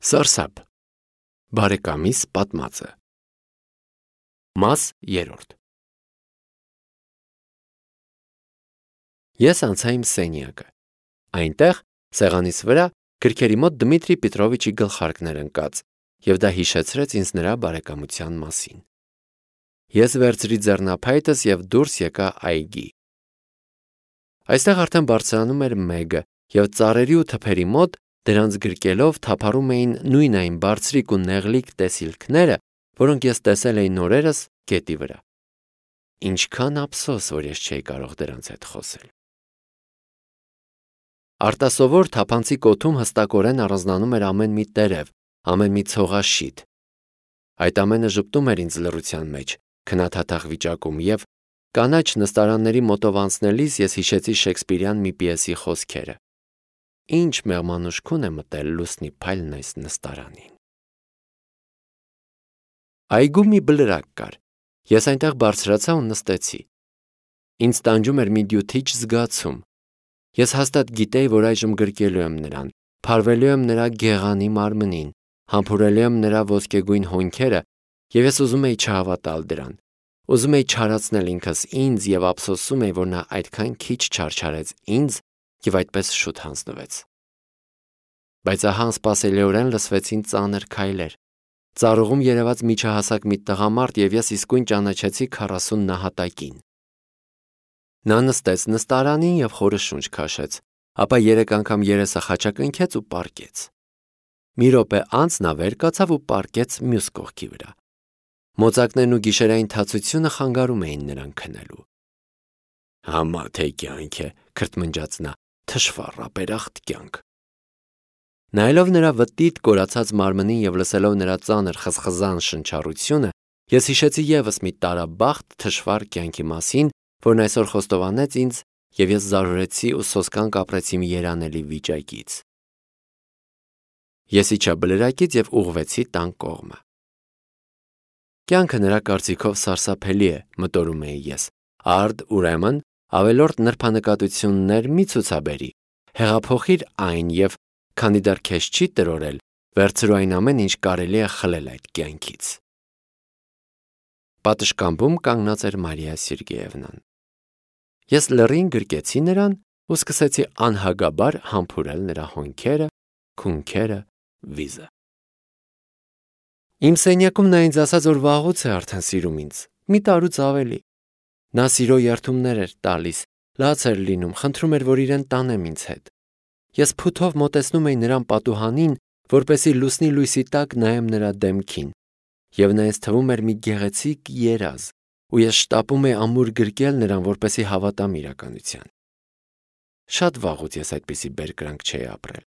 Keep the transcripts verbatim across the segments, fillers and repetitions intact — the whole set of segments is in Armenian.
Սարսափ Բարեկամիս պատմածը Մաս երրորդ Ես անցա իմ սենյակը։ Այնտեղ, սեղանիս վրա, գրքերի մոտ Դմիտրի Պետրովիչի գլխարկն էր ընկած, և դա հիշեցրեց ինձ նրա բարեկամության մասին։ Ես վերցրի ձեռնափայտս և դուրս եկա այգի։ Այստեղ արդեն բարձրանում էր մեգը, և ծառերի ու թփերի մոտ դրանց գրկելով թափառում էին նույն այն բարձրիկ ու նեղլիկ տեսիլքները, որոնք ես տեսել էի նորերս գետի վրա։ Ինչքան ափսոս, որ ես չէի կարող դրանց հետ խոսել։ Արտասովոր թափանցիկ օդում հստակորեն առանձնանում էր ամեն մի տերև, ամեն մի ցողաշիթ։ Այդ ամենը ժպտում էր ինձ լռության մեջ, քնաթաթախ վիճակում, և կանաչ նստարանների մոտով անցնելիս ես հիշեցի Շեքսպիրյան մի պիեսի խոսքերը. Ինչ մեղմանուշքուն է մտել լուսնի փայլն այս նստարանին։ Այգում մի բլրակ կար։ Ես այնտեղ բարձրացա ու նստեցի։ Ինձ տանջում էր մի դյութիչ զգացում։ Ես հաստատ գիտեի, որ այժմ գրկելու եմ նրան, փարվելու եմ նրա գեղանի մարմնին, համբուրելու եմ նրա ոսկեգույն հոնքերը, և ես ուզում էի չհավատալ դրան։ Ուզում էի չարացնել ինքս ինձ և ափսոսում էի, որ նա այդքան քիչ չարչարեց ինձ և այդպես շուտ հանձնվեց։ Բայց ահա անսպասելիորեն լսվեցին ծանր քայլեր։ Ծառուղում երևաց միջահասակ մի տղամարդ, և ես իսկույն ճանաչեցի քառասուն նահատակին։ Նա նստեց նստարանին և խորը շունչ քաշեց, ապա երեք անգամ երեսը խաչակնքեց ու պառկեց։ Մի րոպե անց նա վեր կացավ ու պառկեց մյուս կողքի վրա։ Մոծակներն ու գիշերային թացությունը խանգարում էին նրան քնելու։ Համա թե կյանք է, քրթմնջաց նա, թշվառ ապերախտ կյանք։ Նայելով նրա վտիտ կորացած մարմնին և լսելով նրա ծանր խզխզան շնչառությունը, ես հիշեցի ևս մի տարաբախտ թշվառ կյանքի մասին, որն այսօր խոստովանեց ինձ, և ես զարհուրեցի ու սոսկան կապրեցի մի երանելի վիճակից։ Ես իջա բլրակից և ուղղվեցի տան կողմը։ Կյանքը նրա կարծիքով սարսափելի է, մտորում էի ես, արդ, ուրեմն, ավելորդ նրբանկատություններ մի ցուցաբերի, հեղափոխիր այն և, քանի դեռ քեզ չի տրորել, վերցրու այն ամեն, ինչ կարելի է խլել այդ կյանքից։ Պատշգամբում կանգնած էր Մարիա Սերգեևնան։ Ես լռին գրկեցի նրան ու սկսեցի անհագաբար համբուրել նրա հոնքերը, քունքերը, վիզը։ Իմ սենյակում նա ինձ ասաց, որ վաղուց է արդեն սիրում ինձ, մի տարուց ավելի։ Նա սիրո երդումներ էր տալիս, լաց էր լինում, խնդրում էր, որ իրեն տանեմ ինձ հետ։ Ես փութով մոտեցնում էի նրան պատուհանին, որպեսզի լուսնի լույսի տակ նայեմ նրա դեմքին, և նա ինձ թվում էր մի գեղեցիկ երազ, ու ես շտապում էի ամուր գրկել նրան, որպեսզի հավատամ իրականության։ Շատ վաղուց ես այդպիսի բերկրանք չէի ապրել։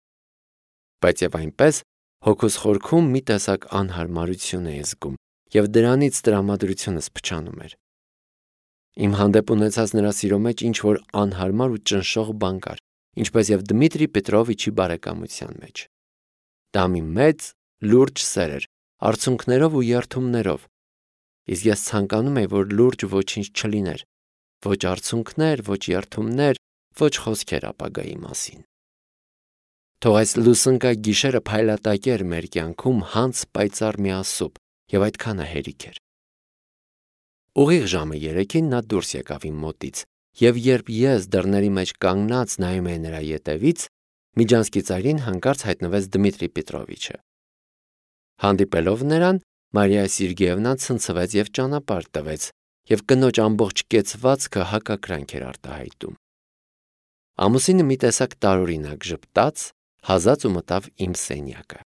Բայց և այնպես հոգուս խորքում մի տեսակ անհարմարություն էի զգում, և դրանից տրամադրությունս փչանում էր։ Իմ հանդեպ ունեցած նրա սիրո մեջ ինչ-որ անհարմար ու ճնշող բան կար, ինչպես և Դմիտրի Պետրովիչի բարեկամության մեջ։ Դա մի մեծ, լուրջ սեր էր, արցունքներով ու երդումներով, իսկ ես ցանկանում էի, որ լուրջ ոչինչ չլիներ, ոչ արցունքներ, ոչ երդումներ, ոչ խոսքեր ապագայի մասին։ Թող այս լուսնկա գիշերը փայլատակեր մեր կյանքում հանց պայծառ միասուբ, և այդքանը հերիք էր։ Ուղիղ ժամը երեքին նա դուրս եկավ իմ մոտից, և երբ ես դռների մեջ կանգնած նայում էի նրա ետևից, միջանցքի ծայրին հանկարծ հայտնվեց Դմիտրի Պետրովիչը։ Հանդիպելով նրան, Մարիա Սերգեևնան ցնցվեց և ճանապարհ տվեց, և կնոջ ամբողջ կեցվածքը հակակրանք էր արտահայտում։ Ամուսինը մի տեսակ տարօրինակ ժպտաց, հազաց ու մտավ իմ սենյակը։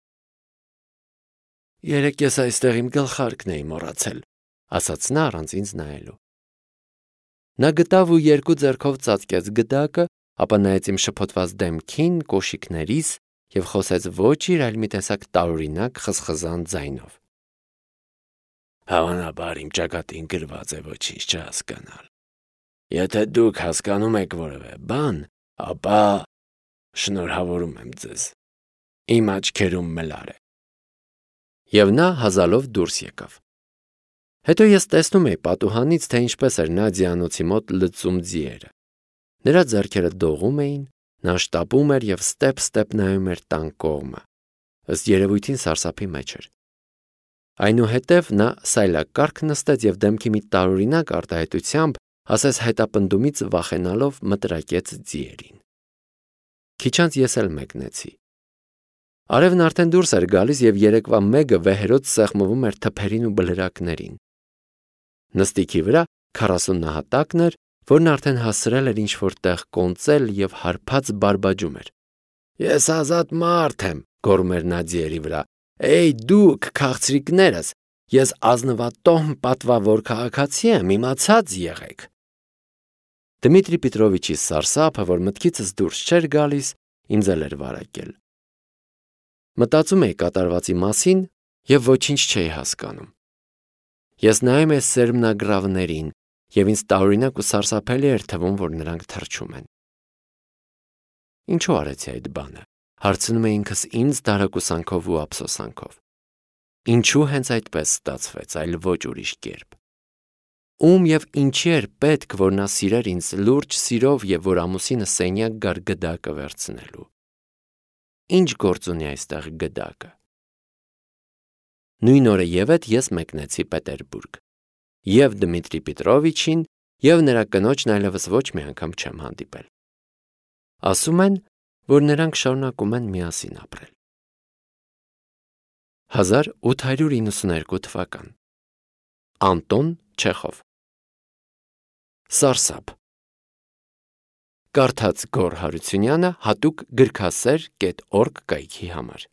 Երեկ ես այստեղ իմ գլխարկն էի մոռացել, ասաց նա առանց ինձ նայելու։ Նա գտավ ու երկու ձեռքով ծածկեց գդակը, ապա նայեց իմ շփոթված դեմքին, կոշիկներիս և խոսեց ոչ իր, այլ մի տեսակ տարօրինակ խզխզան ձայնով։ Հավանաբար իմ ճակատին գրված է ոչինչ չհասկանալ։ Եթե դուք հասկանում եք որևէ բան, ապա շնորհավորում եմ ձեզ։ Իմ աչքերում մլար է։ Եվ նա հազալով դուրս եկավ։ Հետո ես տեսնում էի պատուհանից, թե ինչպես էր նա ձիանոցի մոտ լծում ձիերը։ Նրա ձեռքերը դողում էին, նա շտապում էր և ստեպ-ստեպ նայում էր տան կողմը։ ըստ երևույթին սարսափի մեջ էր։ Այնուհետև նա սայլակարգ նստեց և դեմքի մի տարօրինակ արտահայտությամբ, ասես հետապնդումից վախենալով, մտրակեց ձիերին։ Քիչ անց ես էլ մեկնեցի։ Արևն արդեն դուրս էր գալիս և երեկվա մեգը վեհերոց սեղմվում էր թփերին ու բլրակներին։ Նստիքի վրա քառասուն նահատակն էր, որն արդեն հասցրել էր ինչ-որ տեղ կոնծել և հարբած բարբաջում էր։ «Ես ազատ մարդ եմ», գոռում էր նա ձիերի վրա։ «Էյ դուք, քաղցրիկներս, ես ազնվատոհմ պատվավոր քաղաքացի եմ, իմացած եղեք»։ Դմիտրի Պետրովիչի սարսափը, որ մտքիցս դուրս չէր գալիս, ինձ էլ էր վարակել։ Մտածում էի կատարվածի մասին և ոչինչ չէի հասկանում։ Ես նայում էի սերմնագրավներին, և ինձ տարօրինակ ու սարսափելի էր թվում, որ նրանք թռչում են։ Ինչու արեցի այդ բանը, հարցնում էի ինքս ինձ դարակուսանքով ու ափսոսանքով։ Ինչու հենց այդպես ստացվեց, այլ ոչ ուրիշ կերպ։ Ում և ինչի էր պետք, որ նա սիրեր ինձ լուրջ սիրով և որ ամուսինը սենյակ գար գդակը վերցնելու։ Ինչ գործ ունի այստեղ գդակը։ Նույն օրը ևեթ ես մեկնեցի Պետերբուրգ։ Եվ Դմիտրի Պետրովիչին, և նրա կնոջն այլևս ոչ մի անգամ չեմ հանդիպել։ Ասում են, որ նրանք շարունակում են միասին ապրել։ հազար ութ հարյուր իննսունհինգ թվական Անտոն Չեխով Սարսափ Կարդաց Գոռ Հարությունյանը հատուկ գրքասեր կետ օրգ կայքի համար։